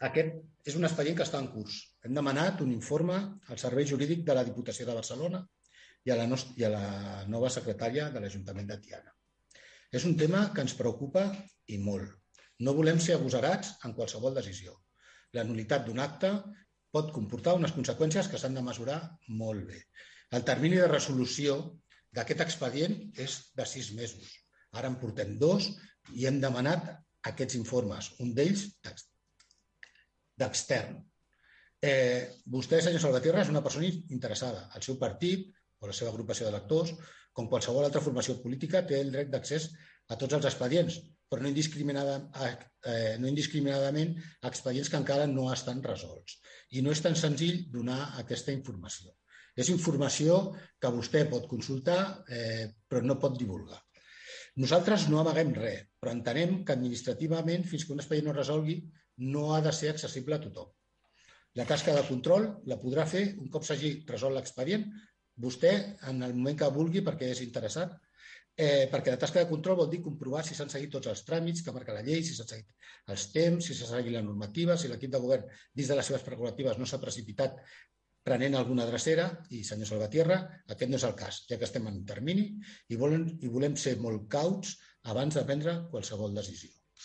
Aquest és un expedient que està en curs. Hem demanat un informe al Servei Jurídic de la Diputació de Barcelona i a la nova secretària de l'Ajuntament de Tiana. És un tema que ens preocupa i molt. No volem ser agosarats en qualsevol decisió. La nul·litat d'un acte pot comportar unes conseqüències que s'han de mesurar molt bé. El termini de resolució d'aquest expedient és de 6 mesos. Ara en portem 2 i hem demanat aquests informes, un d'ells d'extern. Vostè, senyor Salvatierra, és una persona interessada. El seu partit o la seva agrupació d'electors, com qualsevol altra formació política, té el dret d'accés a tots els expedients, però no indiscriminadament a expedients que encara no estan resolts. I no és tan senzill donar aquesta informació. És informació que vostè pot consultar, però no pot divulgar. Nosaltres no amaguem res, però entenem que administrativament, fins que un expedient no es resolgui, no ha de ser accessible a tothom. La tasca de control la podrà fer un cop s'hagi resolt l'expedient, vostè en el moment que vulgui perquè és interessat, perquè la tasca de control vol dir comprovar si s'han seguit tots els tràmits que marca la llei, si s'han seguit els temps, si s'ha seguit la normativa, si l'equip de govern dins de les seves prerrogatives no s'ha precipitat prenent alguna drecera i, senyor Salvatierra, aquest no és el cas, ja que estem en un termini i volem ser molt cauts abans de prendre qualsevol decisió.